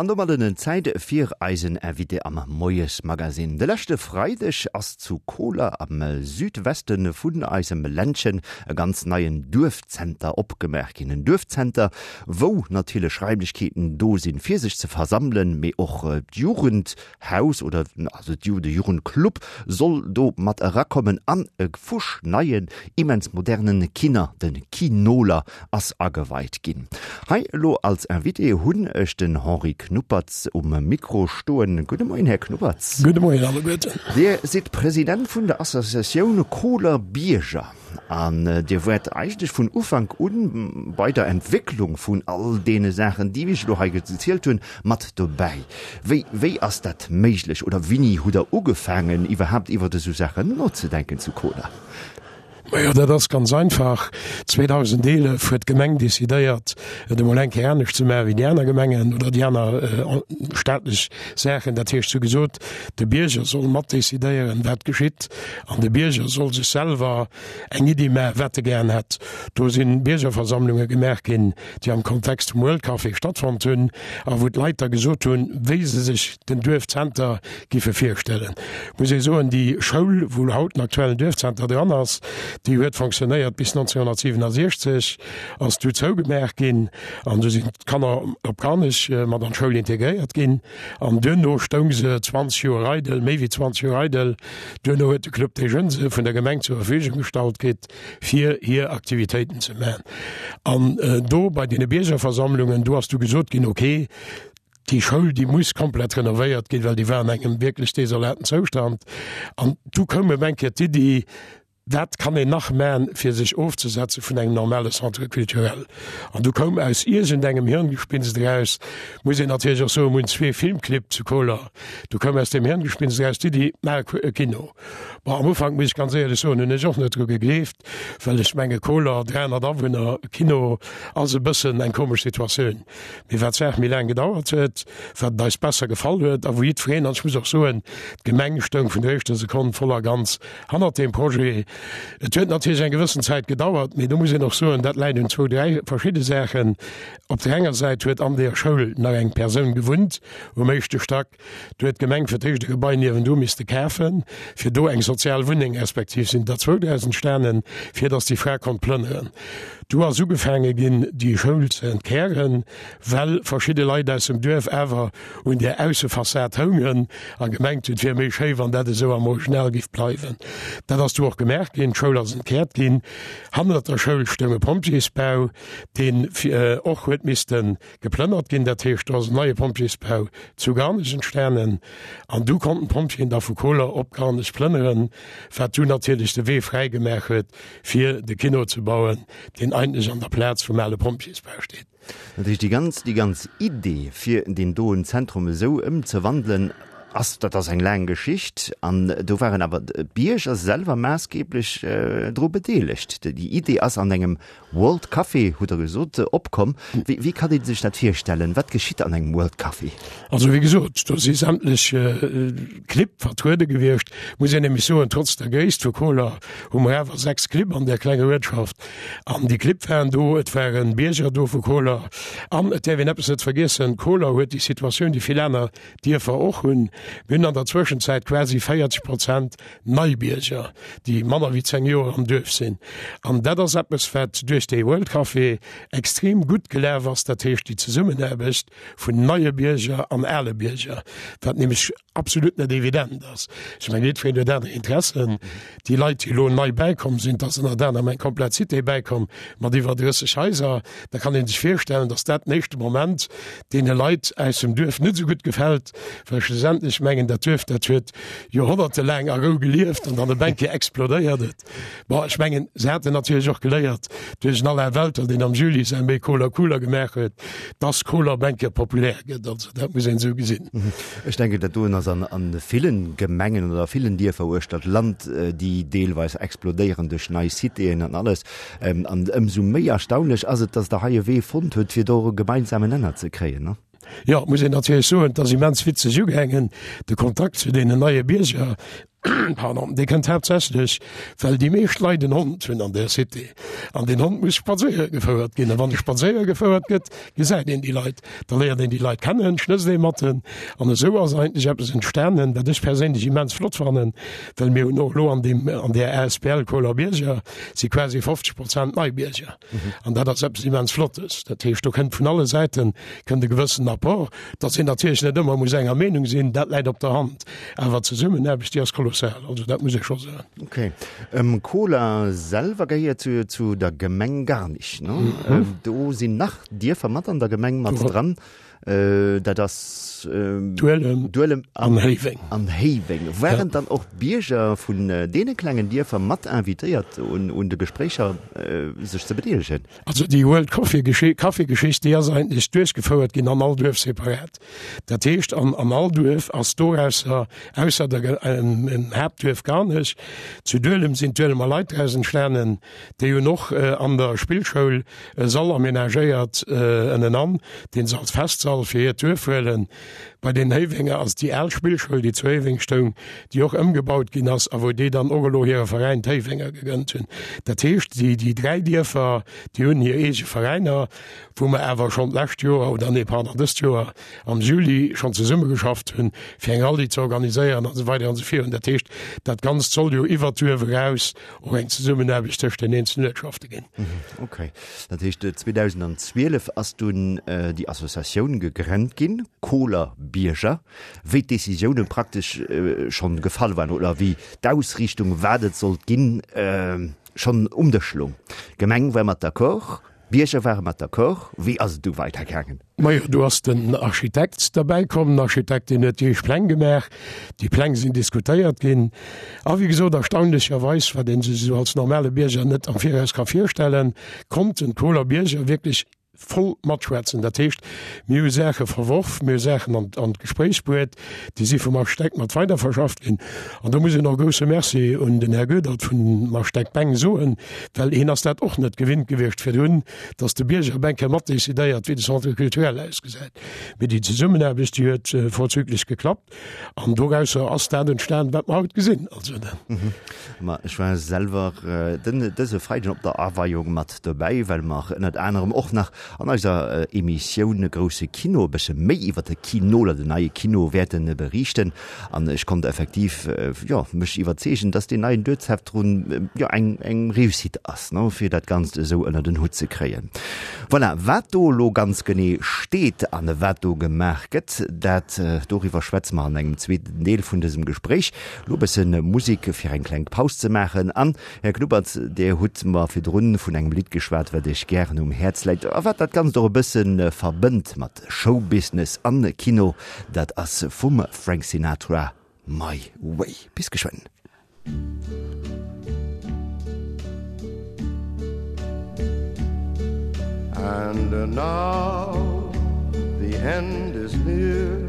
An domadden en Zäit fir eisen Invité am Moiesmagazine. De leschte Freideg ass zu Koler am Südweste vun eisem Ländchen e ganz neien Duerfzenter opgemaach ginn. En Duerfzenter, wou natierlech Raimlechkeeten do sinn, fir sech ze versammelen, mee och d'Jugendhaus oder also de Jugendclub soll do mat erakommen an e fuschneien, immens modernen Kiner, de Kinoler, ass ageweit ginn. Hei elo als Invité hunn ech den Henri Knuppertz um Mikro stoen. Gudde Moien, Här Knuppertz. Gudde Moien alleguerten. Dir sidd President vun der Associatioun Koler Bierger an Dir waart eigentlech vun Ufank un bei der Entwécklung vun all deene Saachen, déi ech elo hei gezielt hunn, mat dobäi. Wéi, wéi ass dat méiglech oder wéini hutt Der ugefaangen, iwwerhaapt iwwert esou Saachen nozedenken zu Koler? Majo, dat ass ganz einfach. 2011 huet d'Gemeng decidéiert, et emol eng Kéier anescht ze maachen wéi déi aner Gemengen oder déi aner staatlech Saachen. Dat heescht, se hu gesot, de Bierger soll mat decidéieren, wat geschitt, an de Bierger soll sech selwer eng Iddi maachen, wat e gären hätt. Do si Biergerversammlunge gemaach ginn, déi am Kontext vum World Café stattfonnt hunn a wou d'Leit da gesot hunn, wéi se sech den Duerfzenter giffe virstellen. Muss ee soen, déi Schoul, wou haut den aktuellen Duerfzenter dran ass, déi huet fonctionnéiert bis 1967, ass du zougemaach ginn an du sinn d'Kanner op Garnech mat an d'Schoul integréiert ginn an duerno stoung se 20 Joer eidel, méi wéi 20 Joer eidel. Duerno huet de Club des Jeunes se vun der Gemeng zur Verfügung gestallt kritt, fir hir Aktivitéiten ze maachen. An do bei deene Biergerversammlungen, do ass du gesot ginn, okay, Déi Schoul, déi muss komplett renovéiert ginn, well déi war an engem wierklech desolaten Zoustand. An du koum ëm eng Kéier d'Iddi, Wat kann een nach man, fir sech ofzesetze vun engem normale Centre culturel? An du koum aus iergendengem Hirngespinst eraus, muss een natierlech och soen, mir hunn zwee Filmclibb zu Koler, du koum aus deem Hirngespinst eraus d'Iddi, Maach e Kino. Bon, am Ufank, muss ech ganz éierlech soen, hunn ech och net dru gegleeft, well ech menge Koler, 300 Awunner, Kino ass e bëssen eng komesch Situatioun. Mee wat d'Saach méi laang gedauert huet, wat et eis besser gefall huet a wou jiddwereen, an ech muss och soen, d'Gemeng stoung vun der éischter Sekonn voll a ganz hannert deem Projet. Et huet natierlech eng gewëssen Zäit gedauert, mee do muss een och soen, dat läit un zwou, dräi verschidde Saachen. Op där enger Säit huet an deeër Schoul nach eng Persoun gewunnt um éischte Stack. Do huet d'Gemeng fir d'éischt e Gebai niewendru misste kafen, fir do eng sozial Wunneng, respektiv sinn der zwou draus entstanen, fir datt déi Fra konnt plënneren. Du ass ugefaange ginn, déi Schoul ze entkären, well verschidde Leit aus dem Duerf awer un där Aussefassad houngen a gemengt hunn, et wier méi schéi, wann dat esou am Original giff bleiwen. Dat ass du och gemaach ginn, d'Schoul ass entkäert ginn. Hannert der Schoul stoung e Pompjeesbau, deen och huet misste Geplënnert ginn. Dat heescht, do ass en neie Pompjeesbau zu Garnech entstanen an du konnten d'Pompjeeën da vu Koler op Garnech plënneren, wat du natierlech de Wee fräi gemaach huet, fir de Kino ze bauen, deen eigentlech an der Plaz vum ale Pompjeesbau steet. Dat heescht, déi ganz, déi ganz Idee, fir deen doen Zentrum esou ëmzewandelen, ass, dat ass eng laang Geschicht an do waren awer d'Bierger selwer maassgeblech dru bedeelegt. Déi Idee ass an engem World Café, hutt Der gesot, opkomm. Wéi, wéi kann ee sech dat virstellen? Wat geschitt an engem World Café? Also wéi gesot, do si sämtlech Clibb vertruede gewiescht. Muss een nämlech soen, trotz der Gréisst vu Koler hu mer awer 6 Clibb an där klenger Uertschaft. An déi Clibb waren do, et ware Bierger do vu Koler. An et däerf een eppes net vergiessen, Koler huet déi Situatioun, déi vill aner Dierfer och hunn. Mir hunn an der Zwëschenzäit quasi 40 Prozent Neibierger, déi manner wéi 10 Joer am Duerf sinn. An dat ass eppes, wat duerch dee World Café extrem gutt gelaf ass, dat heescht déi Zesummenaarbecht vun neie Bierger an ale Bierger, wat nämlech absolut net evident ass. Ech mengen, jiddwereen huet aner Interessen. Déi Leit, déi elo nei bäikomm sinn, et ass ënnert anerem eng komplett Cité bäikomm mat iwwer 30 Haiser, da kann ee sech virstellen, datt dat den éischte Moment deene Leit aus dem Duerf net esou gutt gefält, well schlussendlech mengen, dat Duerf, dat huet joerhonnertelaang a Rou gelieft an dann op eng Kéier explodéiert et. Bon, ech mengen, se haten natierlech och geléiert duerch den Alain Welter, deen am Juli säin Méi Koler cooler gemaach huet, dass Koler op eng Kéier populär gëtt. Also dat muss een esou gesinn. Ech denken, dat doen ass an a villen Gemengen oder a villen Dierfer uechter d'Land, déi deelweis explodéieren duerch nei Citéen an alles. An ëmsou méi erstaunlech ass et, dass Der hei e Wee fonnt hutt, fir do e gemeinsamen Nenner ze kréien, ne? Jo, muss een natierlech soen, et ass immens witzeg ugaangen, de Kontakt zu deenen neie Bierger. Pardon, dee kënnt haaptsächlech, well déi meescht Leit en Hond hunn an där Cité. An deen Hond muss spadséiere gefouert ginn. A wann e spadséiere gefouert gëtt, gesäit een déi Leit, da léiert een déi Leit kennen, schnësst ee mat en. An esou ass eigentlech eppes entstanen, wat ech perséinlech immens flott fannen, well mir hunn och elo an deem, an där asbl Koler Bierger si quasi 50 Prozent nei Bierger. An dat ass eppes immens Flottes. Dat heescht, do kënnt vun alle Säite kënnt e gewëssen Apport. Datt een natierlech net ëmmer muss enger Meenung sinn, dat läit op der Hand. Awer d'Zesummenaarbecht, déi ass kolossal. Also dat muss ee scho soen. Ok. Koler selwer gehéiert zu, zu der Gemeng Garnich, ne? Do sinn nach Dierfer mat an der Gemeng mat dran. Dat ass Duelem, Duelem an Héiweng. An Héiweng. Waren dann och Bierger vun deene klengen Dierfer mat invitéiert un, un de Gespréicher sech ze bedeelegen? Also déi World Coffee Café Geschicht, déi ass eigentlech duerchgefouert ginn an all Duerf separat. Dat heescht an an all Duerf ass dorausser, ausser der Haaptduerf Garnech, zu Duelem sinn d'Duelemer Leit draus entstanen, déi hunn och an der Spillschoul e Sall amenagéiert ënnenan, deen se als Festsall fir hiert Duerf huelen. Bei den Héiwenger ass déi al Spillschoul, déi zu Héiweng stoung, déi och ëmgebaut ginn ass a wou déi dann och elo hire Veräin d'Héiwenger gegënnt hunn. Dat heescht, déi, déi 3 Dierfer, déi hunn hir eege Veräiner, wou mer awer schonn d'lescht Joer, oder nee, pardon, dëst Joer am Juli schonn zesummegeschafft hunn, fir eng Rallye ze organiséieren an esou weider an esou virun. Dat heescht, dat Ganzt soll jo iwwert d'Duerf eraus och eng Zesummenaarbecht tëscht den eenzelen Uertschafte ginn. Okay. Dat heescht, 2012 ass dunn déi Associatioun gegrennt ginn, Koler Bierger, wéi d'Decisioune praktesch schonn gefall waren oder wéi d'Ausriichtung, wat et sollt ginn, schonn um Dësch loung. D'Gemeng war mat d'accord, d'Bierger ware mat d'accord. Wéi ass et du weidergaangen? Majo, do ass den Architekt derbäi komm. Den Architekt, deen huet déi éischt Pläng gemaach. Déi Pläng sinn diskutéiert ginn. A wéi gesot, erstaunlecherweis, wat ee sech esou als normale Bierger net am Viraus ka virstellen, konnten d'Koler Bierger wierklech voll matschwätzen. Dat heescht, mir hu Saache verworf, mir hu Saachen an, an d'Gespréich bruet, déi si vum Architekt mat weiderverschafft ginn. An do muss een och e grousse Merci un den Här Goedert vum Architekt Beng soen, well hien ass dat och net gewinnt gewiescht virdrun, dass de Bierger op eng Kéier mat decidéiert, wéi de Centre culturel ausgesäit. Mee déi Zesummenaarbecht, déi huet vorzüglech geklappt an dorausser ass dat entstan, wat mer haut gesinn. Also dat. Ma ech war selwer den dëse Freiden op der Aweiung mat dobäi, well mer ënnert anerem och nach an eiser Emissioun Grousse Kino e bësse méi iwwer de Kino oder den neie Kino wäerte beriichten. An ech konnt effektiv, jo, mech iwwerzeegen, dass deen neien Duerzeptrun, jo, eng, eng Réussite ass, ne, fir dat Ganzt esou ënner den Hutt ze kréien. Voilà, wat do elo ganz genee steet an wat do gemaach gëtt, dat, doriwwer schwätze mer an engem zweeten Deel vun dësem Gespréich. Elo e bësse Musek, fir eng kleng Paus ze maachen. An, Här Knuppert, Dir hutt mer virdrun vun engem Lidd geschwat, wat Iech gären um Häerz läit a wat dat Ganzt och e bësse verbënnt mat Showbusiness an Kino, dat ass vum Frank Sinatra My Way. Bis geschwënn. And now the end is near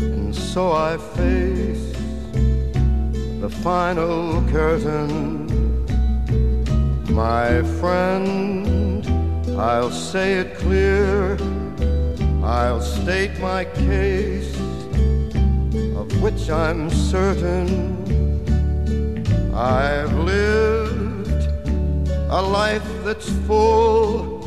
And so I face the final curtain My friend, I'll say it clear I'll state my case Of which I'm certain I've lived a life that's full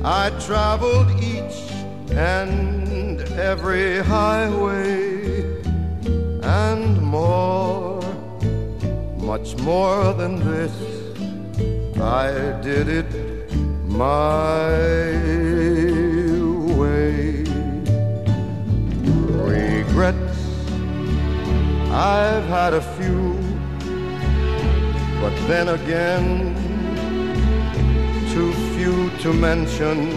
I traveled each and every highway and more much more than this I did it my way regrets I've had a few but then again too few to mention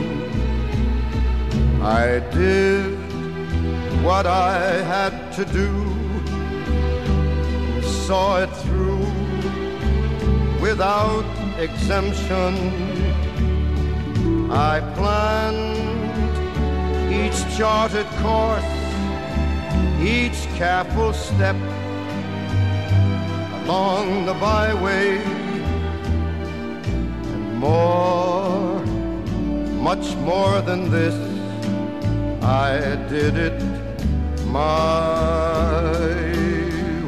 I did what I had to do and saw it through without exemption I planned each charted course each careful step along the byway and more much more than this I did it my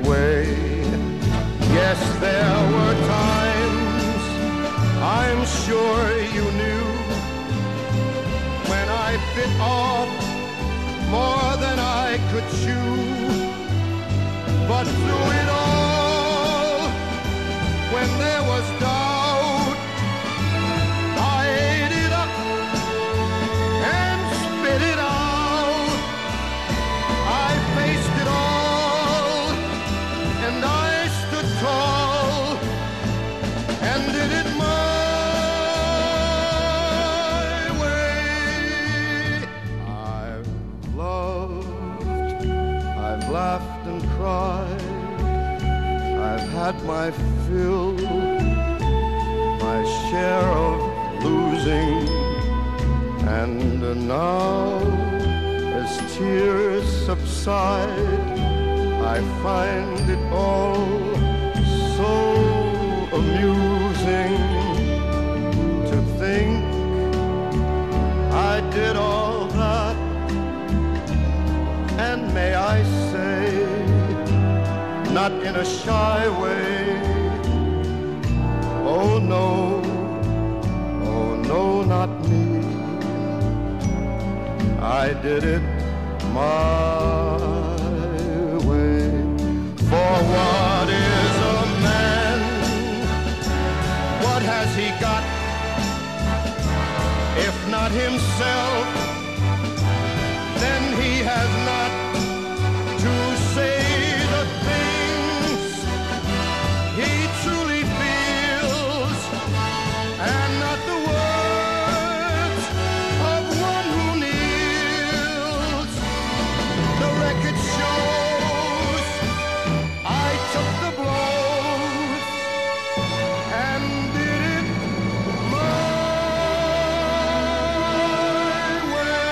way. There were times I'm sure you knew when I bit off more than I could chew. But through it all, when there was doubt, I ate it up and spit it out. I faced it all and I stood tall and did it my way. I've loved, I've laughed and cried, I've had my fill, my share of losing, and now as tears subside, I find it all so amusing to think I did all that and may I say not in a shy way oh no oh no not me I did it my way for what is a man what has he got if not himself then he has not to say the things he truly feels and not the words of one who kneels the record shows I took the blows and did it my way.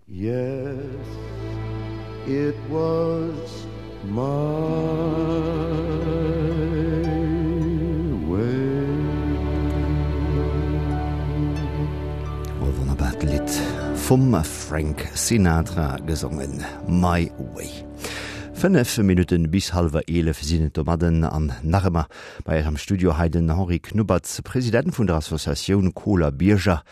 Yes, it was my way. E wonnerbart Lidd vum Frank Sinatra gesongen, My Way. 5 Minutten bis hallwer 11 sinn et domadden an nach ëmmer bei eis am Studio hei den Henri Knuppertz, President vun der Associatioun Koler Bierger.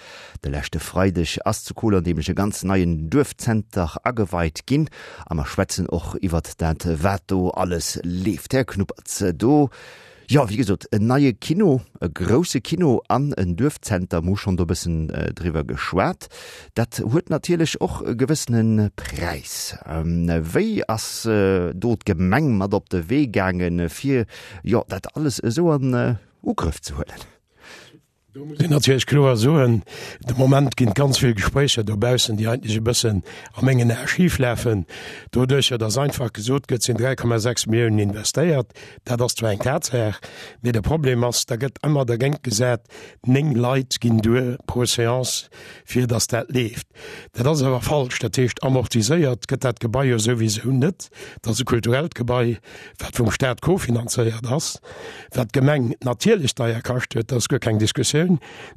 De leschte Freideg ass zu Koler nämlech e ganz neien Duerfzenter ageweit ginn a mer schwätzen och iwwert dat wat do alles leeft. Här Knuppertz, do, jo wéi gesot, en neie Kino, e grousse Kino an en Duerfzenter, mer hu schonn do e bëssen driwwer geschwat, dat huet natierlech och e gewëssene Präis. Wéi ass do d'Gemeng mat op de Wee gaangen, fir, jo, dat alles esou an Ugrëff ze huelen? Do muss een natierlech kloer soen, de Moment ginn et ganz vill Gespréicher dobaussen, déi eigentlech e bëssen a mengen Ae schif lafen, doduercher datt einfach gesot gëtt, et sinn 3,6 Milliounen investéiert. Dat ass zwar eng Tatsaach, mee de Problem ass, da gëtt ëmmer dergéint gesat, 9 Leit ginn duer pro Seance, fir datt dat leeft. Dat ass awer falsch. Dat heescht, amortiséiert gëtt dat Gebai jo souwisou net. Dat ass e kulturellt Gebai, wat vum Staat kofinanzéiert ass, wat d'Gemeng natierlech deier kascht huet, dat ass guer keng Diskussioun,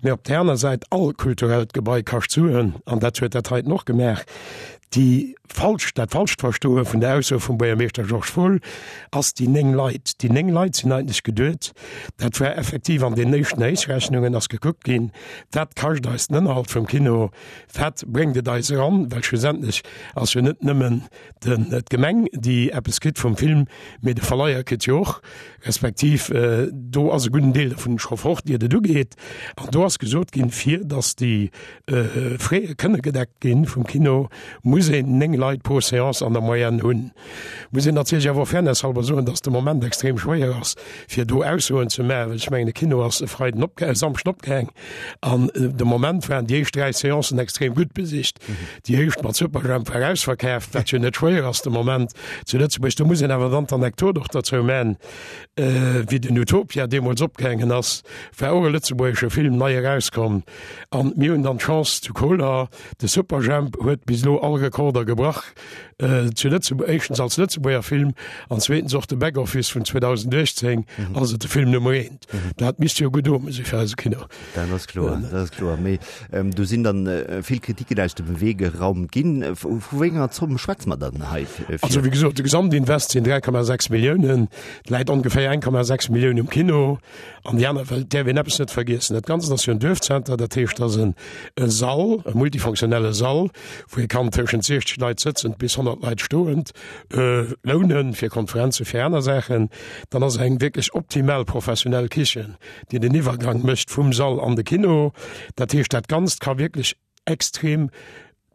mä op där aner Säit, all kulturellt Gebai kascht Suen, an dat huet dat heiten och gemaach. Déi falsch, dat falscht Verstoe vun der Ausso vum Buergermeeschter Georges Fohl ass déi 9 Leit. Déi 9 Leit sinn eigentlech geduet, dat war effektiv an den éischten Héichrechnungen ass gekuckt ginn, wat kascht eis den Ënnerhalt vum Kino, wat bréngt et eis eran, well schlussendlech ass jo net nëmmen Den d'Gemeng, déi eppes kritt vum Film, mee de Verleiher kritt jo och, respektiv do ass e gudden Deel dovun scho fort, iert et ugeet. An do ass gesot ginn, fir datt déi Frais kënne gedeckt ginn vum Kino, muss een 9 Leit pro Seance an der Moyenne hunn. Muss een natierlech awer och fairnesshalber soen, datt de Moment extrem schwéier ass, fir do Aussoen ze maachen, well ech mengen, de Kino ass e Freiden opge-, e Samschden opgaang an de Moment waren déi éischt 3 Seancen extrem gutt besicht. Déi éischt mat Superjhemp war ausverkaaft, wat jo net schwéier ass de Moment zu Lëtzebuerg. Do muss een awer dann d'Anekdot och derzou man, wéi den Utopia deemools opgaangen ass, war och e lëtzebuergesche Film nei erauskomm an mir hunn dann d'Chance zu Koler, de Superjhemp huet bis elo all. Rekorder gebrach zu Lëtzebuerg, éischtens als Lëtzebuerger Film an zweetens och de Back-Office vun 2018 ass et de Film Nummer eent. Dat misst jo gutt ome si fir eise Kino. Dat ass kloer, dat ass kloer. Mee do sinn dann vill Kritiken aus dem Wee geraumt ginn. Vu wéi enger Zomm schwätze mer dann hei? Also wéi gesot, de Gesamtinvest sinn 3,6 Milliounen. Et läit ongeféier 1,6 Millioun um Kino an déi aner, well et däerf een eppes net vergiessen, dat Ganzt ass jo en Duerfzenter, dat heescht, et ass en Sall, e multifonctionnelle Sall, wou ee kann tëschent 60 Leit sëtzend bis 100 Leit stoend lounen, fir Konferenzen, fir aner Saachen. Dann ass eng wierklech optimal professionell Kichen, déi den Iwwergang mécht vum Sall an de Kino. Dat heescht, dat Ganzt ka wierklech extrem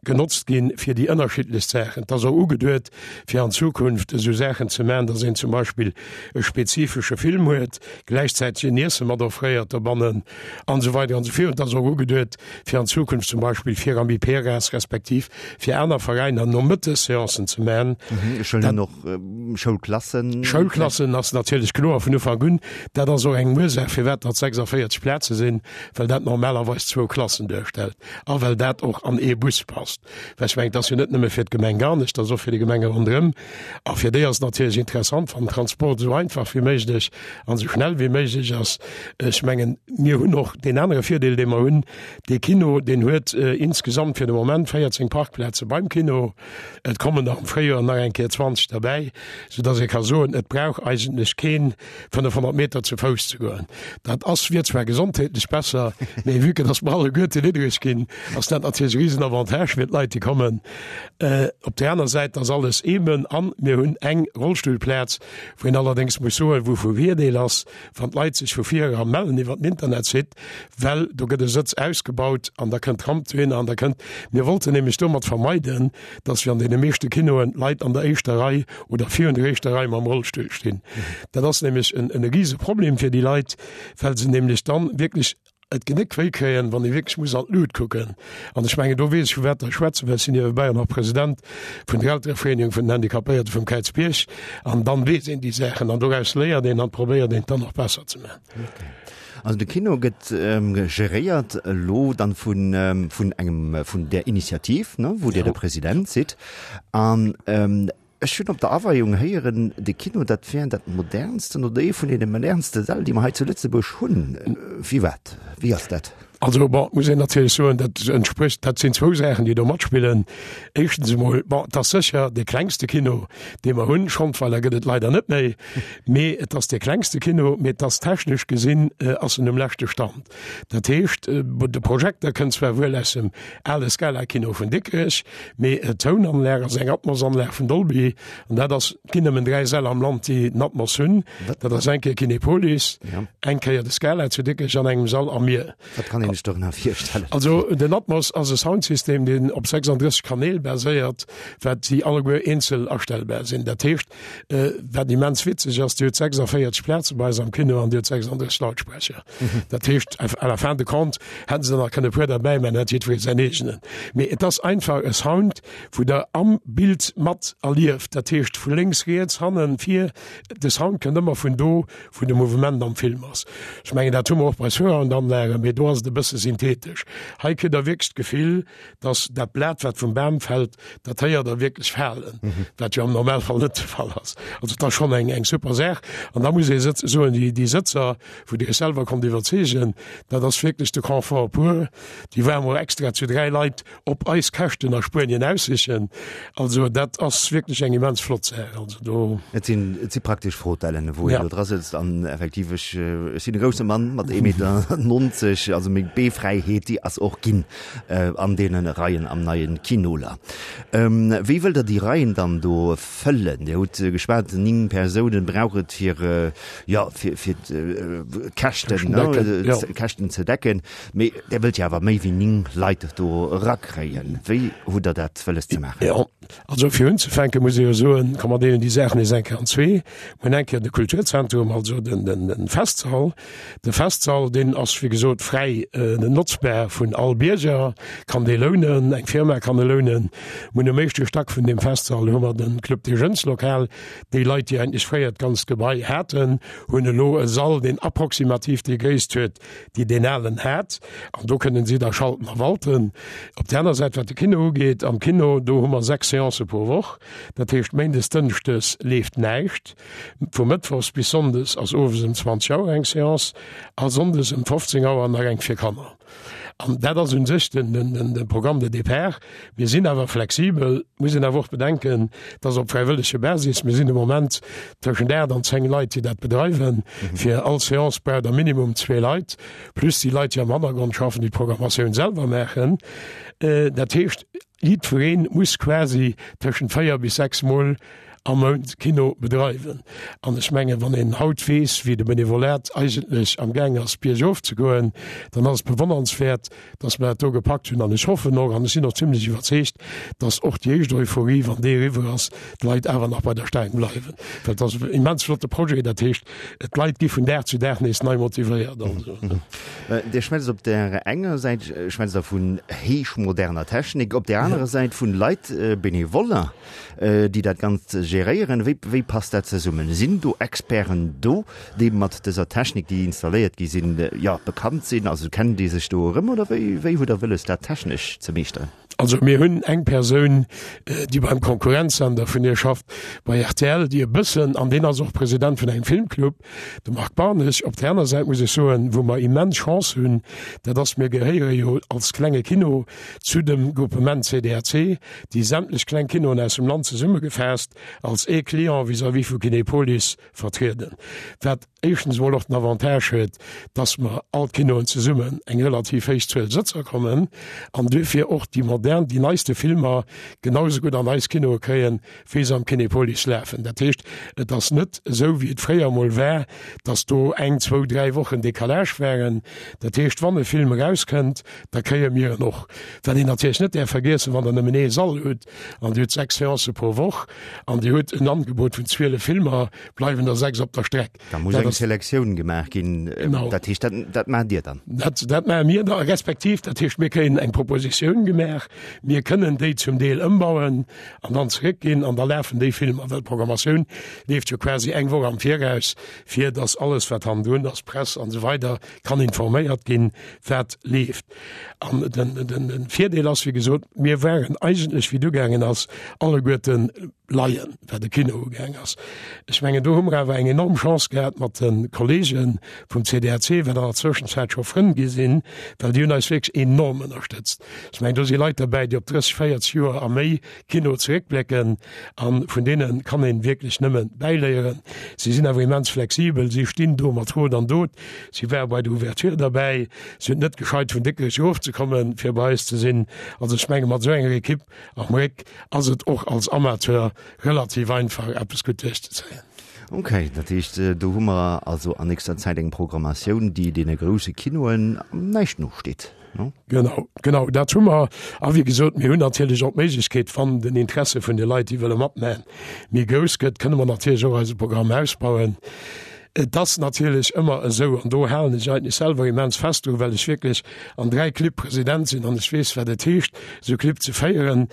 genotzt ginn fir déi ënnerschiddlechst Saachen. Et ass och ugeduet, fir an Zukunft esou Saachen ze maachen, datt een zum Beispill e spezifesche Film huet, gläichzäiteg en Iesse mat offréiert dobannen an esou weider an esou virun. Et ass och ugeduet, fir an Zukunft zum Beispill fir Amiperas respektiv fir aner Veräiner Nomëttesseancen ze maachen. Ech hunn och Schoulklassen. Schoulklassen ass natierlech kloer vun Ufank un. Dat ass och eng Ursaach, firwat datt 46 Plaze sinn, well dat normalerweis zwou Klassen duerstellt. A well dat och an ee Bus passt. Well ech mengen, et ass jo net nëmme fir d'Gemeng Garnech, et ass och fir déi Gemenge ronderëm. A fir déi ass et natierlech interessant, wann den Transport esou einfach wéi méiglech an esou schnell wéi méiglech ass. Ech mengen, mir hunn och deen anere Virdeel, dee mer hunn, Dee Kino, deen huet insgesamt fir de Moment 14 Parkplaze beim Kino. Et kommen der am Fréijoer nach eng Kéier 20 derbäi, soudass ee ka soen, et brauch eigentlech keen 500 Meter zu Fouss ze goen. Dat ass, wier zwar gesondheetlech besser, mee vue que dass mer alleguerte niddereg ginn, ass dat natierlech e Riesenavantage fir d'Leit, déi kommen. Op där aner Säit ass alles eeben an mir hunn eng Rollstullplaz, wou een allerdéngs muss soen, wou vu Virdeel ass, wann d'Leit sech vu vir era mellen iwwer den Internetsite, well do gëtt e Sëtz ausgebaut an da kënnt d'Ramp dohinner an da kënnt, mir wollten nämlech domat vermeiden, dass wéi an deene meeschte Kinoen d'Leit an der éischter Rei oder virun der éischter Rei mam Rollstull stinn. Dat ass nämlech en e rise Problem fir déi Leit, well se nämlech dann wierklech et Genéck wéi kréien, wann ee wierklech muss an d'Lut kucken. An ech mengen, do weess ech, vu wat Der schwätzen, well ech sinn niewebäi och nach President vun der Elterevereenigung vun den Handicapéierte vum Kräizbierg. An dann weess een déi Saachen an doraus léiert een an probéiert een et dann och besser ze maachen. Also de Kino gëtt geréiert elo dann vun vun engem vun där Initiativ, ne, wou Dir de President sidd. An ech hunn op der Aweiung héieren, de Kino dat wär dat modernsten oder ee vun deene modernste Säll, déi mer hei zu Lëtzebuerg hunn. Firwat? Wéi ass dat? Also bon, muss een natierlech soen, dat entsprécht, dat sinn zwou Saachen, déi do matspillen. Éischtens emol, bon, et ass sécher dee klengste Kino, dee mer hunn. Schandweiler gëtt et leider net méi. Mee et ass dee klengste Kino, mee et ass technesch gesinn ass en um leschte Stand. Dat heescht, de Projekter kënnt zwar wuel aus dem ale Scala-Kino vun Dikrech, mee d'Tounanlag ass eng Atmos-Anlag vun Dolby. An dat ass, et ginn nëmmen 3 Säll am Land, déi den Atmos hunn. Dat ass eng Kéier Kinepolis, eng Kéier de Scala zu Dikrech an engem Sall a mir. Wat kann een sech dorënner virstellen? Also den Atmos ass e Soundsystem, deen op 36 Kanäl baséiert, wat déi alleguer eenzel astellbar sinn. Dat heescht, Wat immens witzeg ass, Dir hutt 46 Plaze bei eis am Kino an Dir hutt 36 Lautsprecher. Dat heescht, à la fin de compte hätte se nach kënne e puer derbäi maachen, hätt jiddweree säin eegenen. Mee et ass einfach e Sound, wou Der am Bild mat erlieft. Dat heescht, vu lénks, riets, hannen, vir, de Sound kënnt ëmmer vun do, wou de Mouvement am Film ass. Ech mengen, dat hu mer och bei Surround-Anlagen, mee do ass et e bësse synthetesch. Hei kritt Der wierklech d'Gefill, dass dat Blat, wat vum Bam fält, dat héiert Der wierklech falen, wat jo am Normalfall net de Fall ass. Also et ass schonn eng, eng super Saach. An da muss ee soen, déi, déi Sëtzer, wou Dir Iech selwer konnt iwwerzeegen, dat ass wierklech de Confort pur. Déi ware mer extra zu 3 Leit op eis Käschten a Spuenien aussichen. Also dat ass wierklech eng immens flott Saach. Also do. Et sinn, et si praktesch Fotellen, wou een do dra sëtzt an effektiv, ech, ech sinn e grousse Mann mat ee Meter 90, also meng Beefräiheet, déi ass och ginn an deene Reien am neie Kinoler. Wéi wëllt Der déi Reien dann do fëllen? Dir hutt geschwat, 9 Persounen brauch et fir, jo, fir, fir d'Käschten, Käschten ze decken. Mee Der wëllt jo awer méi wéi 9 Leit do erakréien. Wéi hutt Der dat wëlles ze maachen? Jo, also fir unzefänke muss ee jo soen, komm mer deelen déi Saach nees eng Kéier an zwee. Mir hunn eng Kéier de Kulturzentrum, also den, den, den Festsall. De Festsall, deen ass wéi gesot fräi. notzbar vun all Bierger, kann dee lounen, eng Firma kann e lounen. Mir hunn um éischte Stack vun deem Festsall hu mer de Club des Jeunes Lokal. Déi Leit, déi eigentlech fréier d'ganzt Gebai haten, hunn elo e Sall, deen approximativ déi Gréisst huet, déi deen alen hat. An do kënnen si da schalten a walten. Op där aner Säit, wat de Kino ugeet, am Kino, do hu mer 6 Seancë pro Woch. Dat heescht, méindes, dënschdes leeft näischt. Vu mëttwochs bis sonndes ass owes ëm 20 Auer eng Seance a sonndes ëm 15 Auer nach eng fir Kanner. An dat ass u sech den, den, den, de Programme de départ. Mir sinn awer flexibel, muss een awer och bedenken, dass op fräiwëllege Basis, mir sinn de Moment tëschent 8 an 10 Leit, déi dat bedreiwen. Fir all Seance braucht Der minimum zwee Leit, plus déi Leit, déi am Hannergrond schaffen, déi d'Programmatioun selwer maachen. Dat heescht, Jiddweree muss quasi tëschent 4 bis 6 Mol am Mount Kino bedreiwen. An ech mengen, wann een haut weess, wéi de Benevolat eigentlech am Gaang ass biergof ze goen, dann ass et bewonnernswäert, dass mer dat do gepackt hunn. An ech hoffen och, an ech sinn och zimlech iwwerzeegt, dass och déi éischt Euphorie, wann déi eriwwer ass, d'Leit awer nach bei der Staang bleiwen. Well et ass en immens flotte Projet. Dat heescht, d'Leit gi vun Dag zu Dag nees nei motivéiert. Dir schwätzt op där enger Säit schwätzt Der vun héichmoderner Technik, op där anerer Säit vun Leit, Benevoller, déi dat Ganzt geréieren. Wéi, wéi passt dat zesummen? Sinn do Experten do, déi mat dëser Technik, déi installéiert gi sinn, jo, bekannt sinn? Also kennen déi sech do erëm oder wéi, wéi hutt Der wëlles, dat technesch ze meeschteren? Also mir hunn eng Persoun, déi beim Konkurrenzsender vun dir schafft, bei rtl, déi e bëssen, an deen ass och President vun engem Filmclub, de Marc Barneg. Op där aner Säit muss ech soen, wou mer immens Chance hunn, dat ass, mir gehéiere jo als klenge Kino zu dem Groupement CDAC, déi sämtlech kleng Kinoen aus dem Land zesummegefaasst als ee Client vis-à-vis vu Kinepolis vertrieden, wat éischtens emol och den Avantage huet, dass mer all d'Kinoen zesummen eng relativ héich Zuel Sëtzer kommen an duerfir och déi modern, déi neiste Filmer genau esou gutt an eis Kinoe kréien, wéi se am Kinepolis lafen. Dat heescht, et ass net esou, wéi et fréier emol war, dass do eng, zwou, dräi Wochen Décalage waren. Dat heescht, wann e Film erauskënnt, da kréie mir en och. Wat een natierlech net däerf vergiessen, wann Der nëmmen ee Sall hutt an Dir hutt sechs Seancë pro Woch an Dir hutt en Angebot vun 12 Filmer, bleiwen der sechs op der Streck. Da muss eng Selektioun gemaach ginn. Genau. Dat heescht, dat, dat maacht Dir dann? Dat, dat maache mir da, respektiv, dat heescht, mir kréien eng Propositioun gemaach, mir kënnen déi zum Deel ëmbauen an dann zeréckginn an da lafen déi Filmer, well d'Programmatioun leeft jo quasi eng Woch am Viraus, fir datt alles, wat hannendrun ass, Press an esou weider, kann informéiert ginn, wat leeft. An den, den, den Virdeel ass, wéi gesot, mir waren eigentlech, wéi et ugaangen ass, alleguerten Laien, wat de Kino ugaang ass. Ech mengen, do hu mer awer eng enorm Chance gehat mat de Kollege vum CDAC, wat an der Zwëschenzäit scho Frënn gi sinn, well déi hunn eis wierklech enorm ënnerstëtzt. Ech mengen, do si Leit derbäi, déi op 30, 40 Joer a méi Kino zeréckblécken a vun deene kann ee wierklech nëmme bäiléieren. Si sinn awer immens flexibel, si stinn do mat Rot an Dot, si ware bei der Ouverture derbäi, si hunn et net gescheit vun Dikrech erofzekommen, fir bei eis ze sinn. Also ech menge mat esou enger Ekipp am Réck ass et och als Amateur relativ einfach eppes gutt duerchzezéien. Ok, dat heescht do hu mer also an nächster Zäit eng Programmatioun, déi deene grousse Kinoen näischt nosteet, no? Genau, genau dat hu mer. A wéi gesot, mir hunn natierlech och d'Méiglechkeet, wann den Interesse vun de Leit, déi wëlle matmachen, méi grouss gëtt, kënne mer natierlech och eise Programm ausbauen. Et ass natierlech ëmmer esou, an do halen ech eigentlech selwer immens fest dru, well ech wierklech an 3 Clibb President sinn an ech weess, wat et heescht, esou Clibb ze féieren,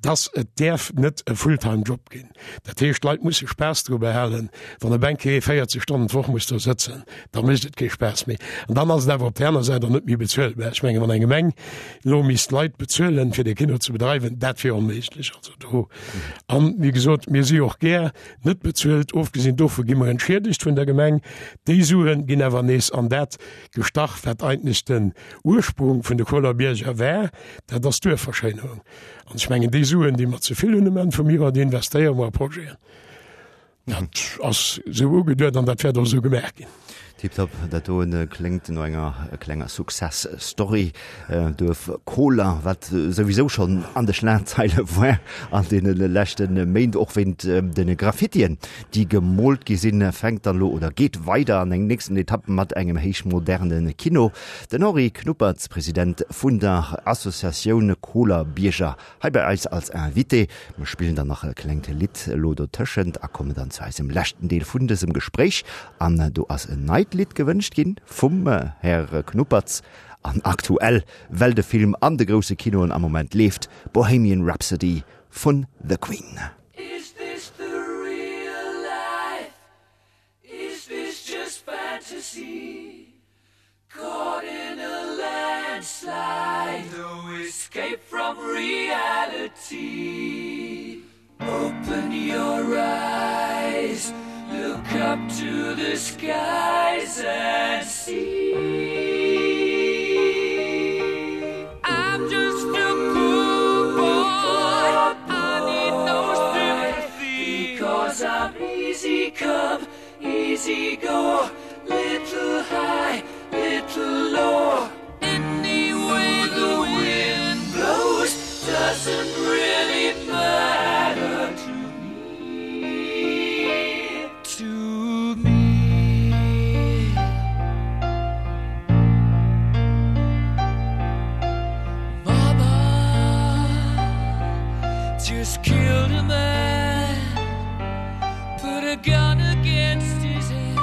dass et däerf net e Fulltime-Job ginn. Dat heescht, d'Leit musse Spaass dru behalen. Wann e Banquier 40 Stonnen d'Woch muss do sëtzen, da mécht et kee Spaass méi. An dann ass et awer op där aner Säit och net méi bezuelbar. Ech mengen, wann eng Gemeng elo misst Leit bezuelen, fir dee Kino ze bedreiwen, dat wier onméiglech. Also do, an wéi gesot, mir si och gär net bezuelt. Ofgesinn dovu gi mer entschiedegt vun der Gemeng. Déi Sue ginn awer nees an dat gestach, wat eigentlech den Ursprung vun de Koler Bierger war, dat ass d'Duerfverschéinerung. An ech mengen, déi Suen, déi mer ze vill hunn um Enn vum Joer, déi investéiere mer a Projeten. Dat ass esou ugeduet an dat wäert och esou gemaach ginn. Tiptop, dat doen kléngt no enger klenger Success Story. Duerf Koler, wat souwisou schonn an de Schlagzeile war an deene leschte Méint, och wéint de Graffitien, déi gemoolt gi sinn, fänkt dann elo oder geet weider an eng nächsten Etapp mat engem héichmoderne Kino. Den Henri Knuppertz, President vun der Associatioun Koler Bierger, Hei bei eis als Invité. Mir spillen dann nach e klengt Lidd elo dotëschent a kommen dann zu eisem leschten Deel vun dësem Gespréich. An do ass en neit Lidd gewënscht ginn vum Här Knuppertz. An aktuell, well de Film an de grousse Kinoen am Moment leeft, Bohemian Rhapsody vun The Queen. Is this the real life? Is this just fantasy? Caught in a landslide, no escape from reality. Open your eyes, look up to the skies and see. I'm just a poor boy, I need no sympathy because I'm easy come, easy go, little high, little low. Any way the wind blows doesn't really matter to me to me. Mama just killed a man, put a gun against his head,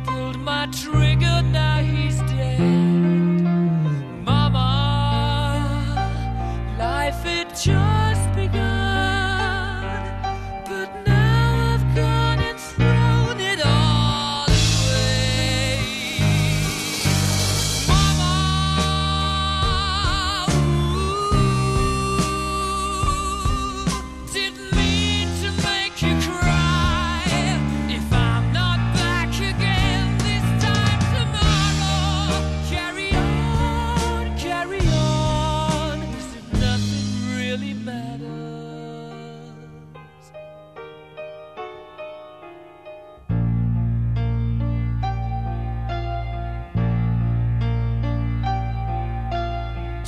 pulled my trigger, now he's dead. Mama, life had just begun, but now I've gone and thrown it all away. Mama, ooh, didn't mean to make you cry. If I'm not back again this time tomorrow, carry on, carry on, as if nothing really matters.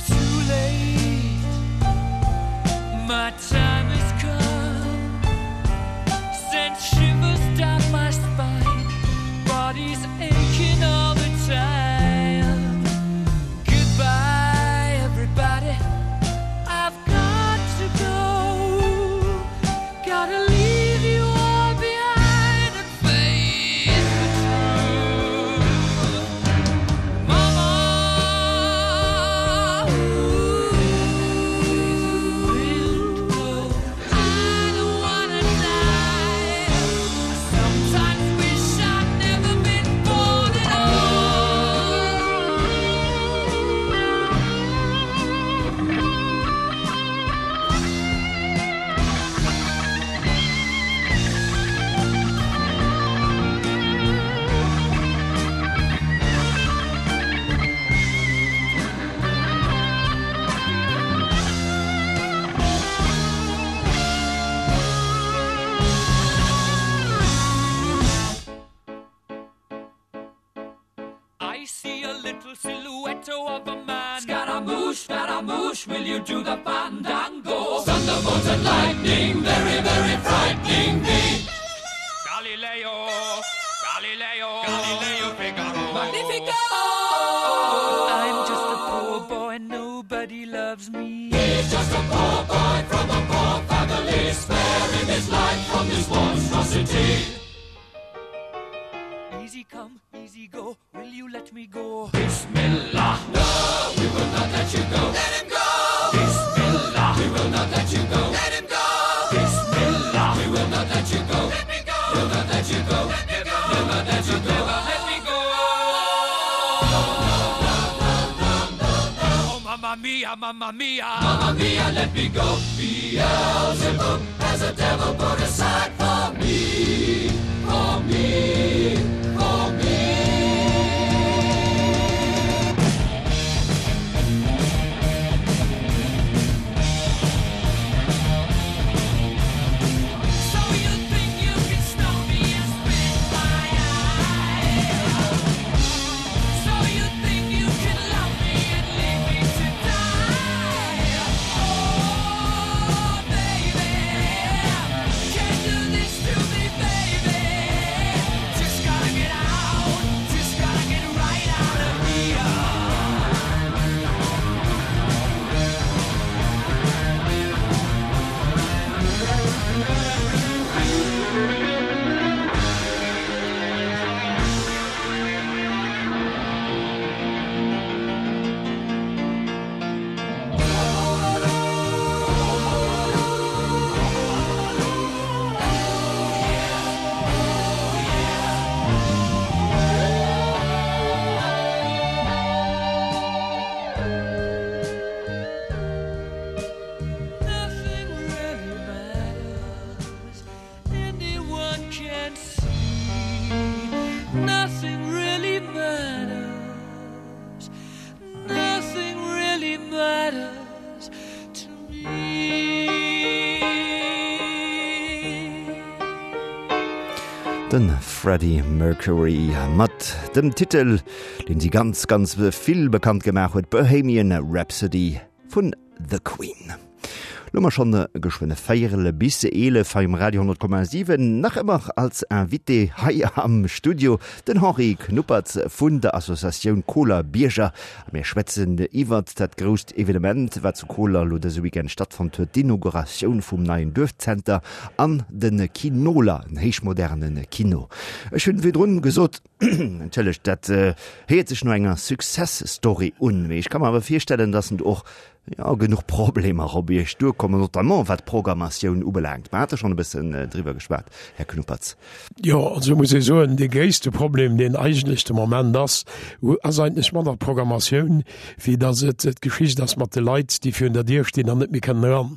Too late, my time has come. Sent shivers down my spine, body's aching all the time. Goodbye, everybody. I've got to go. Gotta leave you all behind and face the truth. Mama, ooh, I don't wanna die. I sometimes wish I'd never been born at all. I see a little silhouette of a man. Scaramouche, Scaramouche, will you do the fandango? Thunderbolt and lightning, very, very frightening me. Galileo, Galileo, Galileo Figaro. Magnifico! I'm just a poor boy, nobody loves me. He's just a poor boy from a poor family, sparing his life from this monstrosity. Easy come, easy go, will you let me go? Bismillah, no, we will not let you go. Let him go! Bismillah, we will not let you go. Let him go! Bismillah, we will not let you go. Let me go! We'll not let you go. Let me go! We'll not let you go. Never let me go! Oh, mamma mia, mamma mia! Mamma mia, let me go! Beelzebub has a devil put aside for me, for me, for me. So you think you can stone me and spit in my eyes? So you think you can love me and leave me to die? Oh, baby, can't do this to me, baby. De Freddie Mercury mat dem Titel, deen si ganz, ganz vill bekannt gemaach huet, Bohemian Rhapsody vun The Queen. Lo mer schonn geschwënn e Véierel bis 11 hei um Radio 10,7. Nach ëmmer als Invité hei am Studio den Henri Knuppertz vun der Associatioun Koler Bierger. A mir schwätzen iwwert dat grousst Evenement, wat zu Koler elo dëse Weekend stattfonnt huet, d'Inauguratioun vum neien Duerfzenter an de Kinoler, en héichmoderne Kino. Ech hunn virdrun gesot, entschëllegt, dat héiert sech no enger Success Story un, mee ech ka mer awer virstellen, dass en och, jo, genuch Problemer op Iech duerkommen, notamment wat d'Programmatioun ubelaangt. Mer hate schonn e bëssen driwwer geschwat, Här Knuppertz. Jo, also muss ee soen, dee gréisste Problem, deen eigentlech de Moment ass, ass eigentlech manner d'Programmatioun, wéi datt et d'Geschicht ass mat de Leit, déi virun der Dier stinn an net méi kënnen eran.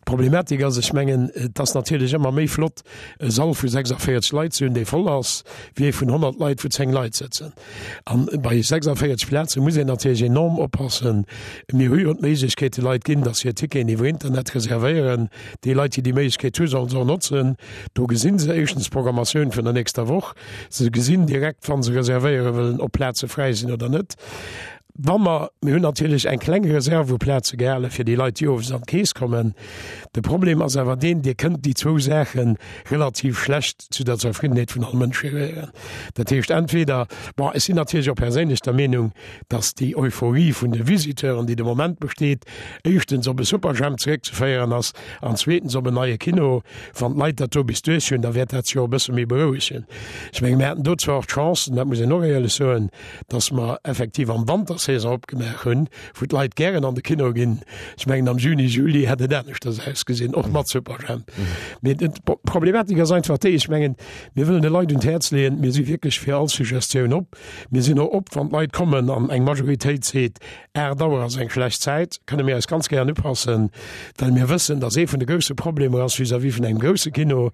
D'Problematik ass, ech mengen, et ass natierlech ëmmer méi flott, e Sall vu 46 Leit ze hunn, dee voll ass, wéi ee vun 100 Leit, wou 10 Leit sëtzen. An bei 46 Plaze muss een natierlech enorm oppassen. Mir hu jo d'Méiglechkeet de Leit ginn, datt se hir Ticketen iwwer Internet reservéieren. Déi Leit, déi déi Méiglechkeet hu, sollen se och notzen. Do gesinn se éischtens d'Programmatioun vun der nächster Woch. Se gesinn direkt, wa se reservéiere wëllen, ob Plaze fräi sinn oder net. Wa mer, mir hunn natierlech eng kleng Reserve u Plaze gehale fir déi Leit, déi owes an d'Keess kommen. De Problem ass awer deen, Dir kënnt déi zwou Saache relativ schlecht zu der Zerfriddenheet vun all Mënsch geréieren. Dat heescht entweder, bon, ech sinn natierlech och perséinlech der Meenung, datt déi Euphorie vun de Visiteuren, déi de Moment besteet, éischtens op e Superjhemp zeréckzeféieren ass an zweetens op en neie Kino. Wann d'Leit dat do bis duerch hunn, da wäert dat sech och e bësse méi berouegen. Ech menge mir haten do zwar och d'Chance, an dat muss een och éierlech soen, dass mer effektiv am Wantersaison opgemaach hunn, wou d'Leit gären an de Kino ginn. Ech mengen am Juni, Juli hätt et aneschters ausgesinn, och mat Superjhemp. Mee d'Problematik ass einfach déi, ech mengen, mir wëllen de Leit un d'Häerz leeën, mir si wierklech fir all Suggestioun op. Mir sinn och op, wann d'Leit kommen an eng Majoritéit seet, 8 Auer ass eng schlecht Zäit, kënne mir eis ganz gären upassen, well mir wëssen, dass ee vun de grousse Problemer ass vis-à-vis vun engem grousse Kino,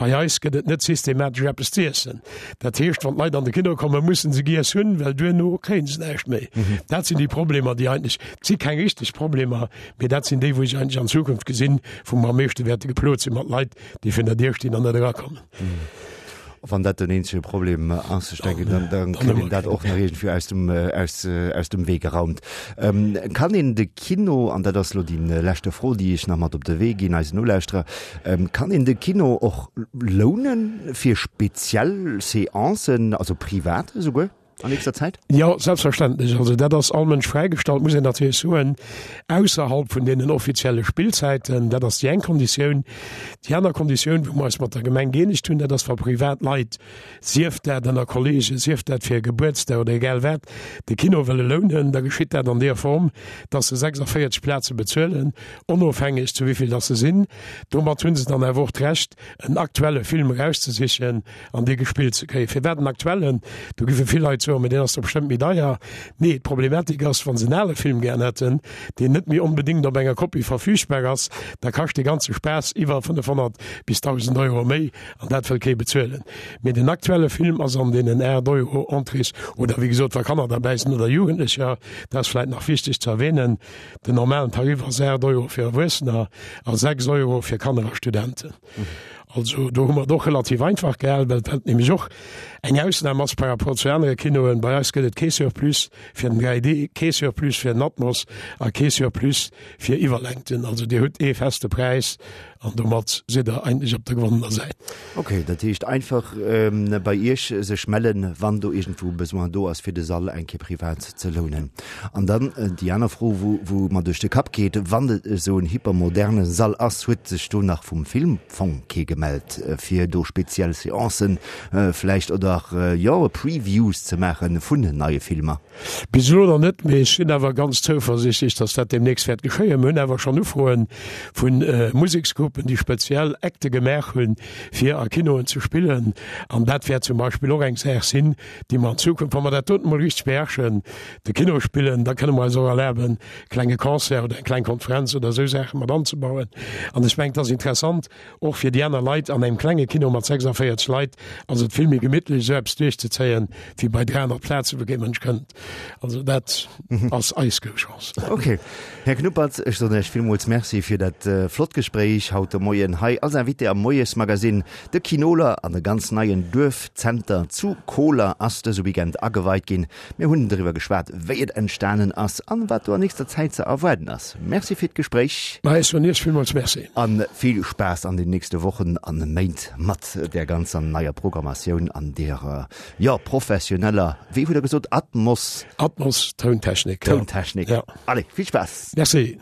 bei eis gëtt et net systematesch eppes z'iessen. Dat heescht, wann d'Leit an de Kino kommen, mussen se giess hunn, well duerno kréien se näischt méi. Dat sinn déi Problemer, déi eigentlech, et si keng richteg Problemer, mee dat sinn déi, wou ech eigentlech an Zukunft gesinn, wou mer am meeschte wäerte geplot si mat Leit, déi virun der Dier stinn an net erakommen. Wann dat den eenzege Problem ass, ech denken, dann, dann kritt een dat och nach iergendwéi aus dem, aus, aus dem Wee geraumt. Ähm, kann een de Kino, an dat ass elo déi leschte Fro, déi ech nach mat op de Wee ginn eisen Nolauschterer, ähm, kann een de Kino och lounen fir speziell Seancen, also privat esouguer? An nächster Zäit? Jo, selbstverständlech. Also dat ass all Mënsch fräigestallt, muss een natierlech soen, ausserhalb vun deenen offizielle Spillzäiten. Dat ass déi eng Konditioun. Déi aner Konditioun, wou mer eis mat der Gemeng gëeenegt hunn, dat ass, wa privat Leit, sief dat ënner Kollegen, sief dat fir e Gebuertsdag oder egal wat, de Kino wëlle lounen, da geschitt dat an deeër Form, dass se 46 Plaze bezuelen, onofhängeg zu wéi vill dass se sinn. Domat hu se dann awer och d'Recht, en aktuelle Film erauszesichen, an dee gespillt ze kréien. Firwat en aktuellen? Do giffe vill Leit soen, mä deen ass doch bestëmmt méi deier. Nee, d'Problematik ass, wa se en ale Film gären hätten, deen net méi onbedéngt op enger Kopie verfügbar ass, da kascht dee ganze Spaass iwwer 500 bis 1.000 Euro méi, an dat wëll kee bezuelen. Mee den aktuelle Film ass an deenen 8 Euro Entrées, oder wéi gesot, wa Kanner derbäi sinn oder Jugendlecher, dat ass vläit nach wichteg ze erwähnen, den normalen Tarif ass 8 Euro fir Erwuessener a 6 Euro fir Kanner a Studenten. Also do hu mer et och relativ einfach gehal, well dat nämlech och eng Ausnam ass par rapport zu anere Kinoen. Bei eis gëtt et kee Surplus fir den 3D, kee Surplus fir den Atmos a kee Surplus fir Iwwerlängten. Also Dir hutt ee feste Präis an domat sidd Der eigentlech op der gewonnener Säit. Okay, dat heescht einfach bei Iech sech mellen, wann do iergendwou e Besoin do ass, fir de Sall eng Kéier privat ze lounen. An dann déi aner Fro, wou mer duerch de Kapp geet, Wann et esou en hypermoderne Sall ass, huet sech do nach vum Filmfong kee gemellt, fir do speziell Seancen vläicht oder jo Previews ze maache vun neie Filmer? Bis elo nach net, mee ech sinn awer ganz zouversichtlech, datt dat deemnächst wäert geschéien. Mir hunn awer schonn Ufroe vu Museksgruppen, déi speziell Acte gemaach hunn, fir a Kinoen ze spillen. An dat wäert zum Beispill och eng Saach sinn, déi mer an Zukunft, wa mer dat doten emol richteg beherrschen, de Kino spillen, da kënne mer eis och erlaben, e klenge Concert oder eng kleng Konferenz oder esou Saache mat anzebauen. An ech mengen, et ass interessant och fir déi aner Leit. An engem klenge Kino mat 46 Leit ass et vill méi gemittlech, esou eppes duerchzezéien, wéi bei 300 Plazen, wou kee Mënsch kënnt. Also dat ass eis grouss Chance. Okay. Här Knuppertz, ech soen Iech villmools Merci fir dat flott Gespréich haut. haut de Moien hei als Invité am Moiesmagazine. De Kinoler an e ganz neien Duerfzenter zu Koler ass dëse Weekend ageweit ginn. Mir hunn driwwer geschwat, wéi et entstanen ass an wat do an nächster Zäit ze erwaarden ass. Merci fir d'Gespréich. Ma ech soen Iech villmools Merci. A vill Spaass an den nächste Wochen an Méint mat där ganzer neier Programmatioun an derer, jo, professioneller, wéi hutt Der gesot, Atmos? Atmos Tountechnik, jo. Tountechnik. Allez, vill Spaass. Merci.